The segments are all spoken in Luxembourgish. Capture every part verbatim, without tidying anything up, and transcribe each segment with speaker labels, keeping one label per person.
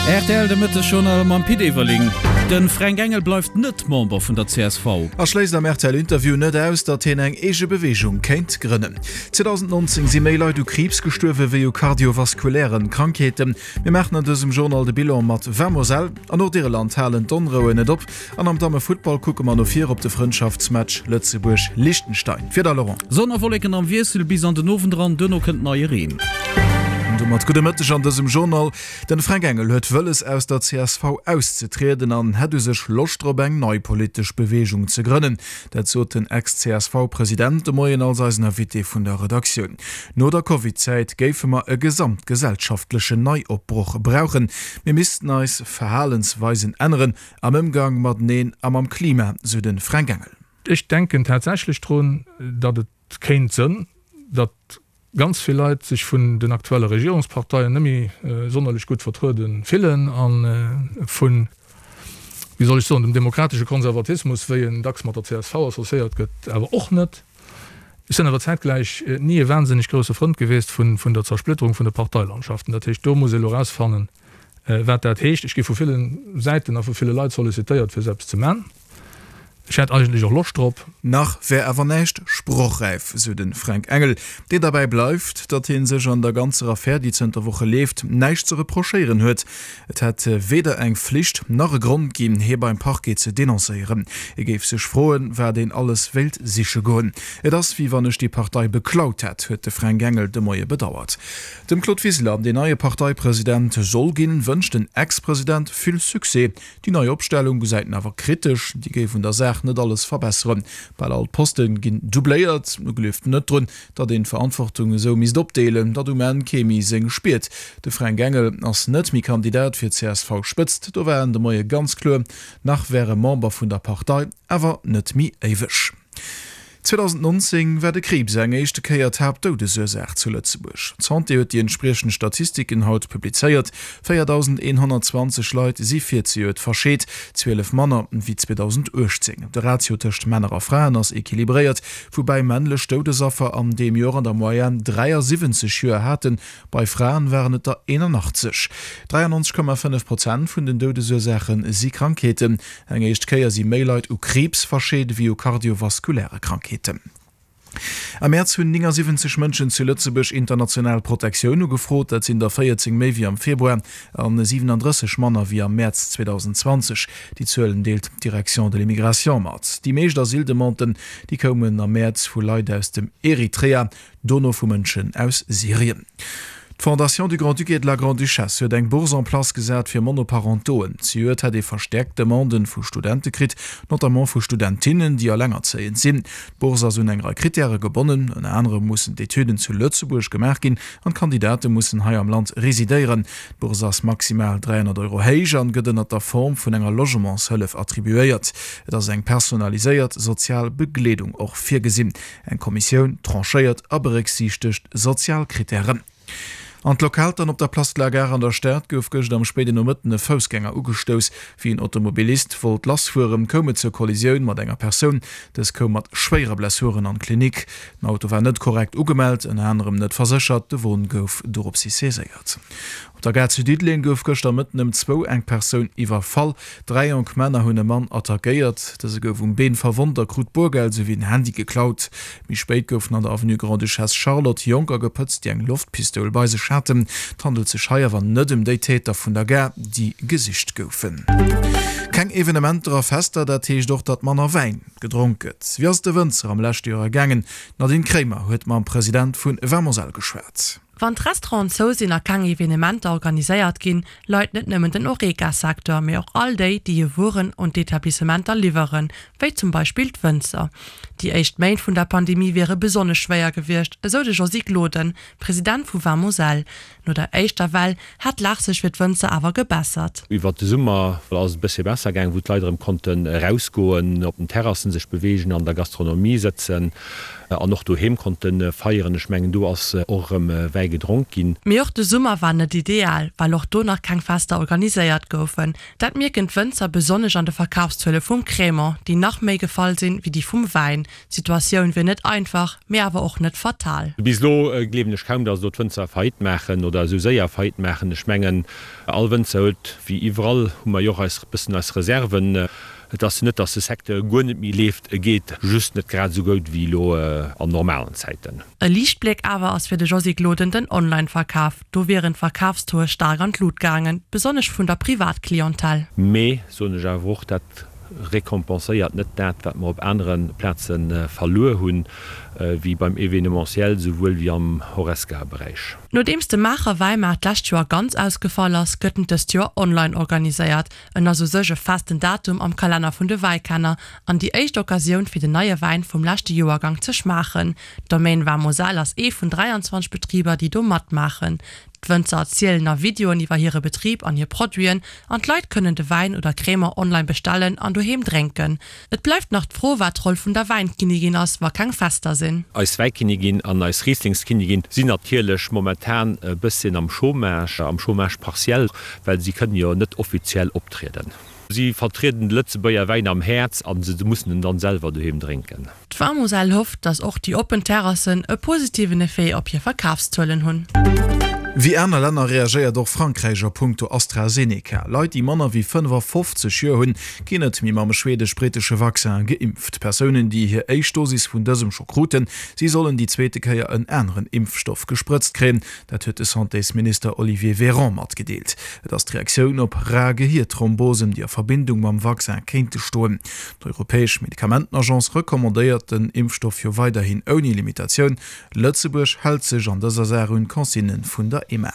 Speaker 1: Rtl de Mëttesjournal mam Pit Everling. De Fränk Engel bleift net Member vun der csv.
Speaker 2: A schléisst am RTL-Interview net aus, datt hien eng eege Beweegung kéint grënnen. zweedausendnonzéng si méi Leit u Kriibs gestuerwe wéi u kardiovaskulären Krankheeten. Mir maachen an dësem Journal de Bilan mat Vamoselle. An Nordirland halen d'Onrouen net op an am Dammefuttball kucke mer no vir op de Frëndschaftsmatch Lëtzebuerg-Liechtenstein. Wieder, Laurent.
Speaker 1: Sonn a Wolleken am Wiessel bis an den Owend eran, duerno kënnt neie Reen.
Speaker 2: An domat gudde Mëtteg an dësem Journal. Den Fränk Engel huet wëlles aus der csv auszetrieden an hätt u sech Loscht drop eng nei politesch Beweegung ze grënnen. Dat sot den Ex-CSV-President de Moien als eisen Invité vun der Redaktioun. No der Covid-Zäit géife mer e gesamtgesellschaftlechen Neiopbroch brauchen. Mir missten eis Verhalensweisen änneren am Ëmgang mateneen a mam Klima, sou de Fränk Engel.
Speaker 3: Ech denken tatsächlech drun, datt et kéint sënn, datt ganz vill Leit sech vun den aktuelle Regierungsparteien net méi sonnerlech gutt vertruede fillen a vun, wéi soll ech soen, dem demokratesche Konservatismus, wéi en dacks mat der csv associéiert gëtt, awer och net. Ech sinn awer zäitgläich ni e wahnsinneg grousse Frënd gewiescht vun der Zersplitterung vun de Parteilandschaften. Dat heescht, do muss ee elo erausfannen, wat dat heescht. Ech gi vu ville Säiten a vu ville Leit sollicitéiert, fir esou eppes ze man. Ech hätt eigentlech och Loscht drop.
Speaker 2: Nach wär awer näischt sprochräif, sou de Fränk Engel, deen derbäi bleift, datt hie sech an der ganzer Affär, déi zënter Woche leeft, näischt ze reprochéieren huet. Et hätt weder eng Flicht nach e Grond ginn, hie beim Parquet ze denoncéieren. E géif sech froen, wat een alles wéilt siche goen. Et ass, wéi wann ech déi Partei beklaut hätt, huet de Fränk Engel de Moie bedauert. Dem Claude Wiseler, deen neie Parteipresident soll ginn, wënscht den Ex-President vill Succès. Déi nei Opstellung gesäit en awer kritesch, déi géif un der Saach net alles verbesseren. Bal all d'Poste ginn doubléiert. E gleeft net drun, datt een d'Verantwortung esou misst opdeelen, datt um Enn kee méi seng spiert. De Fränk Engel ass net méi Kandidat fir d'CSV-Spëtzt, do war en de Moie ganz kloer. Nach wär e Member vun der Partei, awer net méi éiweg. zweedausendnonzéng war de Kriibs eng éischte Kéier d'Haaptdoudesursaach zu Lëtzebuerg. D'Santé huet déi entspriechend Statistiken haut publizéiert. véierdausendeenhonnertzwanzeg Leit si virzejoert verscheet, zwielef manner wéi zweedausendachtzéng. De Ratio tëscht Männer a Fraen ass equilibréiert, woubäi männlech Doudesaffer an deem Joer an der Moyenne dräiasiwwenzeg Joer haten, bei Fraen waren et der eenanachtzeg. dräiannonzeg Komma fënnef Prozent vun den Doudesursaache si Krankheeten. Eng éischt Kéier si méi Leit u Kriibs verscheet ewéi u kardiovaskuläre Krankheeten. Am Mäerz hunn néngasiwwenzeg Mënschen zu Lëtzebuerg international Protektioun ugefrot. Dat sinn der véierzéng méi wéi am Februar a siwenandrësseg manner wéi am Mäerz zweedausendzwanzeg. Déi Zuelen deelt d'Direction de l'immigration mat. Déi meescht Asyldemanden, déi koumen am Mäerz vu Leit aus dem Eritrea, dono vu Mënschen aus Syrien. D'Fondation du Grand-Duc et de la Grande-Duchesse huet eng Bourse en place gesat fir Monoparentoen. Zejoert hätt ee verstäerkt Demanden vu Studente kritt, notamment vu Studentinnen, déi elengerzéiend sinn. D'Bourse ass un eng Rei Krittäre gebonnen, ënner anerem mussen d'Etüden zu Lëtzebuerg gemaach ginn an d'Kandidate mussen hei am Land residéieren. D'Bourse ass maximal dräihonnert Euro héich an gëtt ënnert der Form vun enger Logementshëllef attribuéiert. Et ass eng personaliséiert sozial Begleedung och virgesinn. Eng Kommissioun tranchéiert a berécksiichtegt sozial Krittären. An d'Lokaltan op der Place de la Gare an der Stad gouf gëscht am spéiden Nomëtten e Foussgänger ugestouss. Wéi en Automobilist wollt lassfueren, koum et zur Kollisioun mat enger Persoun. Dës koum mat schwéiere Blessuren an d'Klinik. Den Auto war net korrekt ugemellt, ënner anerem net verséchert. De Won gouf doropshi saiséiert. Op der Gare zu Diddeleng gouf gëschter Mëtten ëm zwou eng Persoun iwwerfall. Dräi jonk Männer hunn e Mann attackéiert. Dëse gouf um Been verwonnt a krut Boergeld souwéi en Handy geklaut. Méi spéit goufen an der Avenue Grande-Duchesse Charlotte Jonker gepëtzt, déi eng Loftpistoul bei sech haten. Et handelt sech hei awer net ëm déi Täter vun der Gare, déi gesicht goufen. Keng Evenementer a Fester, dat heescht och, datt manner Wäin gedronk gëtt. Wéi ass et de Wënzer am leschte Joer ergaangen? D'Nadine Kremer huet mam President vu Vermoselle geschwat.
Speaker 4: Wann d'Restauranten zou sinn a keng Evenementer organiséiert ginn, leit net nëmmen den Horeca-Secteur, mee och all déi, déi hir Wueren un d'Etablissementer liwweren, wéi zum Beispill d'Wënzer. Déi éischt Méint vun der Pandemie wiere besonnesch schwéier gewiescht, esou de Josy Gloden, President vu Vin Moselle. No der éischter Well hätt d'Lag sech fir d'Wënzer awer gebessert.
Speaker 5: Iwwert de Summer ass et e bëssche besser gaang, wou d'Leit erëm konnten erausgoen, op den Terrassen sech beweegen, an der Gastronomie sëtzen an och doheem konnte feieren. Ech mengen, do ass och erëm Wäi gedronk ginn.
Speaker 4: Mee och de Summer war net ideal, well och do nach keng Fester organiséiert goufen. Dat mierken d'Wënzer besonnesch an de Verkafszuele vum Crémant, déi nach méi gefall sinn, wéi déi vum Wäin. D'Situatioun wier net einfach, mee awer och net fatal.
Speaker 5: Bis elo gleewen ech kaum, datt elo d'Wënzer Faillite maachen oder esou séier Faillite maachen. Ech mengen, all Wënzer huet, wéi iwwerall hu mer jo och eis bëssen eis Reserven. Et ass jo net, datt de Secteur guer net méi leeft, e geet just net grad esou goud wéi elo an normalen Zäiten.
Speaker 4: E Liichtbléck awer ass fir de Josy Gloden den Online-Verkaf. Do wieren d'Verkafstoe staark an d'Lut gaangen, besonnesch vun der Privatclientèle.
Speaker 5: Mee, soen ech awer och, dat récompenséiert net dat, wat mer op anere Plaze verluer hunn, wéi beim Événementiel souwuel wéi am Horesca-Beräich.
Speaker 4: Nodeems de Maacher Wäimaart d'lescht Joer ganz ausgefall ass, gëtt en dëst Joer online organiséiert. En ass u sech e festen Datum am Kalenner vun de Wäikenner an déi éischt Occasioun fir den neie Wäin vum leschte Joergang ze schmaachen. D'Domaine Vin Moselle ass ee vun dräianzwanzeg Betriber, déi do matmaachen. D'Wënzer erzielen a Videoen iwwer hire Betrib an hir Produiten an d'Leit kënnen de Wäin oder Crémant online bestellen an doheem drénken. Et bleift nach d'Fro, wat d'Roll vun der Wäinkinnigin ass, wa keng Fester sinn.
Speaker 5: Eis Wäikinnigin an eis Rieslingskinnigin sinn natierlech momentan e bësschen am Chômage, am Chômage partiel, well si kënnen jo net offiziell optrieden. Si vertrieden de Lëtzebuerger Wäin am Häerz a se mussen en dann selwer doheem drénken.
Speaker 4: D'Vin-Moselle hofft, datt och déi oppen Terrassen e positiven Effet op hir Verkafszuelen hunn.
Speaker 2: Wéi aner Länner reagéiert och Frankräich a punkto AstraZeneca. Leit, déi manner wéi fënnefafofzeg Joer hunn, ginn net méi mam schwedesch-brittesche Vaccin geimpft. Persounen, déi hir éischt Dosis vun dësem scho kruten, si sollen déi zweete Kéier en aneren Impfstoff gesprëtzt kréien. Dat huet de Santésminister Olivier Véran matgedeelt. Et ass d'Reaktioun op rar Gehierthrombosen, déi a Verbindung mam Vaccin kéinte stoen. D'Europäesch Medikamentenagence recommandéiert den Impfstoff jo weiderhin ouni Limitatioun. Lëtzebuerg hält sech an dëser Saach un d'Consignë vun der E M A.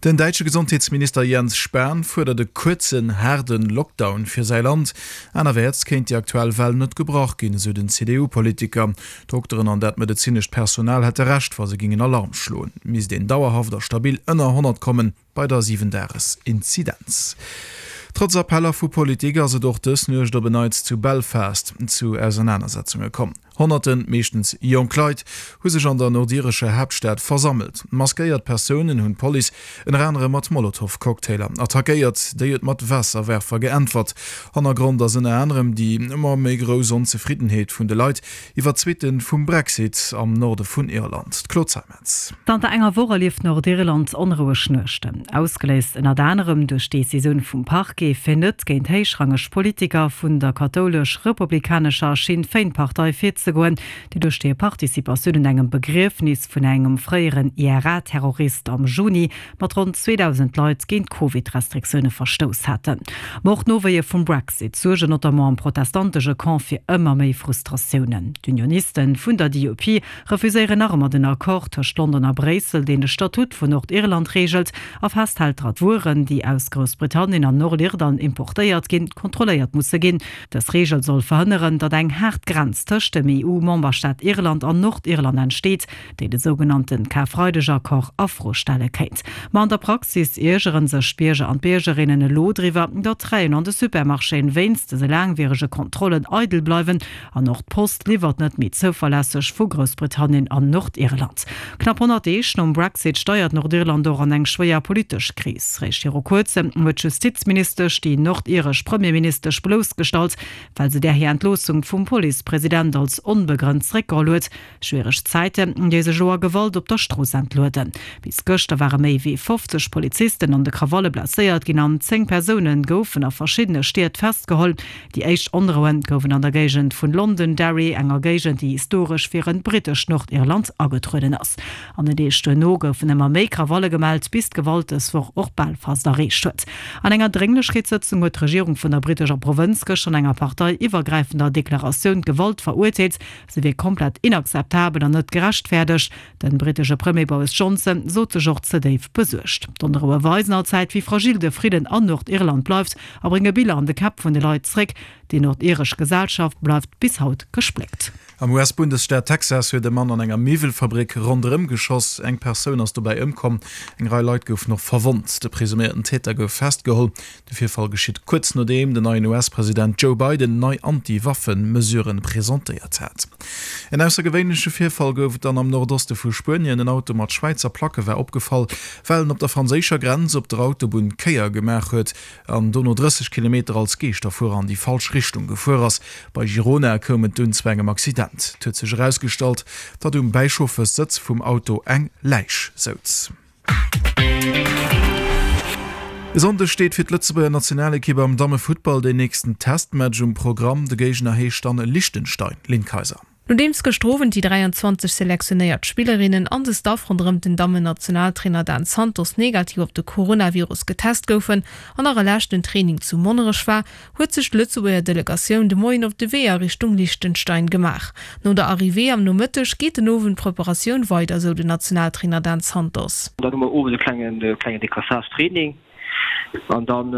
Speaker 2: Den däitsche Gesondheetsminister Jens Spahn fuerdert e kuerzen, haarde Lockdown fir säi Land. Anerwäerts kéint déi aktuell Well net gebrach ginn, esou den C D U-Politiker. D'Dokteren an dat medezinescht Personal hätte Recht, wa se gingen Alarm schloen. Et misst een dauerhaft a stabil ënner honnert kommen bei der Siwen-Dages-Inzidenz. Trotz Appeller vu Politik ass et och dës Nuecht op en Neits zu Belfast zu Ausernanersetzunge komm. Honnerten, meeschtens jonk Leit, hu sech an der nordirescher Haaptstad versammelt. Maskéiert Persounen hunn d'Police ënner anerem mat Molotow-Cocktailer attackéiert, déi huet mat Waasserwerfer geäntwert. Hannergrond ass ënner anerem déi ëmmer méi grouss Onzefriddenheet vun de Leit iwwer d'Suitte vum Brexit am Norde vun Irland. D'Claude Zeimetz.
Speaker 6: Zanter enger Woch erlieft Nordirland onroueg Nuechten, ausgeléist ënnert anerem duerch d'Decisioun vum Parquet, fir net géint héichrangeg Politiker vun der kathoulesch-republikanescher Sinn Féin-Partei virzegoen, déi duerch hir Participatioun un engem Begriefnis vun engem fréieren I R A-Terrorist am Juni mat ronn zweedausend Leit géint d'Covid-Restriktioune verstouss haten. Ma och d'Nowéie vum Brexit suergen notamment am protestantesche Camp fir ëmmer méi Frustratiounen. D'Unionisten vun der D U P refuséieren nach ëmmer den Accord tëscht London a Bréissel, deen de Statut vun Nordirland reegelt a festhält, datt Wueren, déi aus Groussbritannien an Nordirland importéiert ginn, kontrolléiert musse ginn. Dës Reegel soll verhënneren, datt eng haart Grenz tëscht dem E U-Memberstaat Irland an Nordirland entsteet, déi de sougenannte Karfreideg-Accord a Fro stelle kéint. Ma an der Praxis iergere sech d'Bierger an d'Biergerinnen elo driwwer, datt d'Reien an de Supermarchéen wéinst dëse laangwierege Kontrollen eidel bleiwen an och d'Post liwwert net méi zouverlässeg vu Groussbritannien an Nordirland. Knapp honnert Deeg nom Brexit steiert Nordirland och an eng schwéier politesch Kris. Réischt viru kuerzem huet d'Justizministesch déi nordiresch Premierministesch bloussgestallt, well se där hir Entloossung vum Policepresident als onbegrënnt zeréckgeholl huet. Schwiereg Zäiten, déi sech elo a Gewalt op der Strooss entlueden. Bis gëschter ware méi wéi fofzeg Polizisten an de Krawalle blesséiert ginn an zéng Persoune goufen a verschiddene Stied festgeholl. Déi éischt Onroue goufen an der Géigend vun Londonderry, enger Géigend, déi historesch fir e brittescht Nordirland agetrueden ass. An den Deeg duerno goufen ëmmer méi Krawalle gemellt, bis d'Gewalt dës Woch och Belfast erreecht huet. An enger Drénglechkeetssëtzung huet d'Regierung vun der brittescher Provënz gëschter an enger parteiiwwergräifender Deklaratioun d'Gewalt verurteelt, se wier komplett inakzeptabel an net gerechtfäerdegt. De brittesche Premier Boris Johnson sot sech och ze déif besuergt. D'Onroue weisen allzäit, wéi fragil de Fridden an Nordirland bleift a brénge Biller an de Käpp vun de Leit zréck, Déi nordiresch Gesellschaft bleift bis haut gespléckt.
Speaker 2: Am US-Bundesstaat Texas huet e Mann an enger Miwwelfabrik ronderëm geschoss. Eng Persoun ass dobäi ëmkomm, eng Rei Leit goufen och verwonnt. De presuméierten Täter gouf festgeholl. De Virfall geschitt kuerz nodeem den neien US-President Joe Biden nei Anti-Waffen-Mesuren presentéiert hat. En aussergewéinleche Virfall gouf et dann am Nordoste vu Spuenien. En Auto mat Schwäizer Placke war opgefall, well en op der franséischer Grenz op der Autobunn d'Kéier gemaach huet an dono drësseg Kilometer als Geeschterfuerer an déi falsch Richtung gefuer ass. Bei Girona koum et dunn zu engem Accident. Et huet sech erausgestallt, datt um Bäichauffeurssëtz vum Auto eng Läich souz. E Sonndeg steet fir d'Lëtzebuerger Nationalekipp am Dammefuttball deen nächsten Testmatch um Programm. De Géigner heescht dann Liechtenstein. Lynn Kayser.
Speaker 7: Nodeems gëschter Owend déi dräianzwanzeg selektionéiert Spillerinnen an de Staff ronderëm den Dammen-Nationaltrainer Dan Santos negativ op de Coronavirus getest goufen an nach e leschten Training zu Monnerech war, huet sech d'Lëtzebuerger Delegatioun de Moien op de Wee a Richtung Liechtenstein gemaach. No der Arrivée am Nomëtteg geet den Owend d'Preparatioun weider, sou den Nationaltrainer Dan Santos.
Speaker 8: Dann hu mer owes e klengen Décrassage-Training. An dann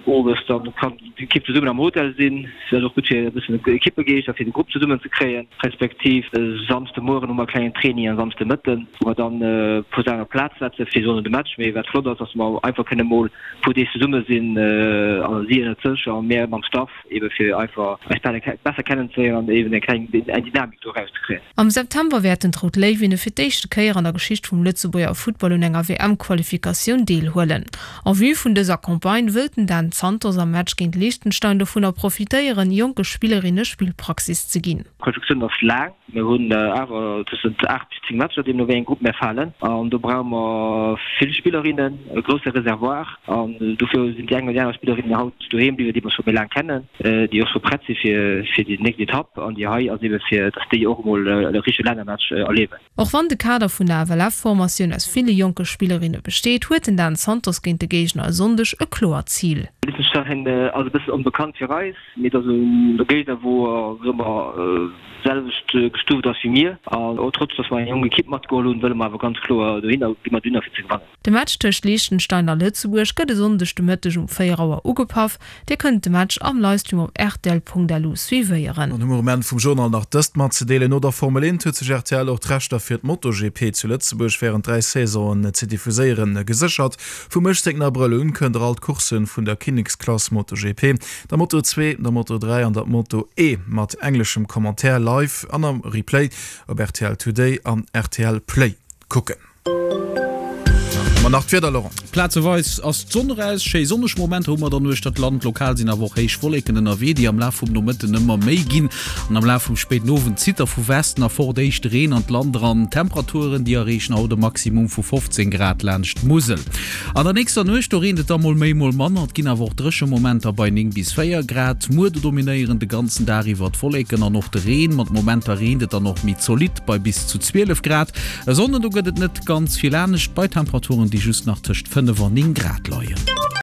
Speaker 8: owes dann kann d'Ekipp zesummen am Hotel sinn. Dat ass och gutt fir e bëssen de Ekippegeescht a fir de Grupp zesummen ze kréien. Respektiv e Samsde Mueren hu mer e klengen Training an Samsde Mëtten, wou mer dann e puer Saachen op d'Plaz setze fir soen de Match. Mee wat flott ass, dass mer einfach kënne mol e puer Deeg zesumme sinn, also si ënnert sech a mär mam Staff, ebe fir einfach eis besser kennenzeléieren an eben eng kleng eng Dynamik do erauszekréien.
Speaker 7: Am September wäerten d'Rout Léiwinne fir d'éischte Kéier an der Geschicht vum Lëtzebuerger Futtball un enger W M-Qualifikatioun deelhuelen. En vue vun dëser Campagne wëllt den Dan Santos am Match géint Liechtenstein dovunner profitéieren, jonke Spillerinne Spillpraxis ze ginn.
Speaker 8: D'Qualifikatioun ass laang, mir hunn awer tëschent aacht bis zéng Matcher, deemno wéi eng Grupp mär falen. An do brauche mer vill Spillerinnen, e grousse Reservoir. An dofir sinn déi eng oder déi aner Spillerinnen haut doheem bliwwen, déi mer scho méi laang kennen, déi och scho prett si fir fir déi nächst Etapp. An déi hei ass eebe fir, datt déi och emol e richtege Lännermatch erliewen.
Speaker 7: Och wann de Kader vun der F L F-Formatioun aus ville jonke Spillerinne besteet, huet den Dan Santos géint de Géigner e Sonndeg e kloert Zil.
Speaker 8: Liechtenstein ass e bëssen onbekannt fir eis, mee et ass e Géigner, wou, soe mer, d'selwecht gestuuft ass wéi mir. An och trotz datt mer eng jonk Ekipp matgeholl hunn, wëlle mer awer ganz kloer dohinner, gi mer dohinner fir ze gewannen.
Speaker 7: De Match tëscht Liechtenstein a Lëtzebuerg gëtt e Sonndeg de Mëtteg um véier Auer ugepaff. Dir kënnt de Match am Livestream op rtl.lu suivéieren.
Speaker 2: An um Enn vum Journal nach dëst matzedeelen, No der Formel eent huet sech R T L och d'Rechter fir d'MotoGP zu Lëtzebuerg wärend dräi Saisonen ze diffuséieren geséchert. Vum uechtzéngten Abrëll un kënnt der all d'Coursse vun der Kinneksklass MotoGP, der Moto zwee, der Moto dräi an der Moto E mat engleschem Commentaire live an am Replay op R T L Today an R T L Play kucken. Ma nach d'Wieder, Laurent.
Speaker 1: Plazeweis ass d'Sonn eraus, schéi sonneg Momenter hu mer dann uechter d'Land. Lokal sinn awer och héich Wolleken ënnerwee, déi am Laf vum Nomëtten ëmmer méi ginn. An am Laf vum spéiden Owend zitt da vu Westen erfort éischte Reen an d'Land eran. D'Temperaturen, déi erreechen haut e Maximum vu fofzéng Grad laanscht d'Musel. An der nächster Nuecht, do reent et da mol méi, mol manner, et ginn awer och dréche Momenter bei néng bis véier Grad. Muer, do dominéieren de ganzen Dag iwwer d'Wolleken an och de Reen. Mat Momenter reent et dann och méi zolidd bei bis zu zwielef Grad. E Sonnden, do gëtt et net ganz vill anescht bei Temperaturen, déi just nach tëscht fënnef an néng Grad leien.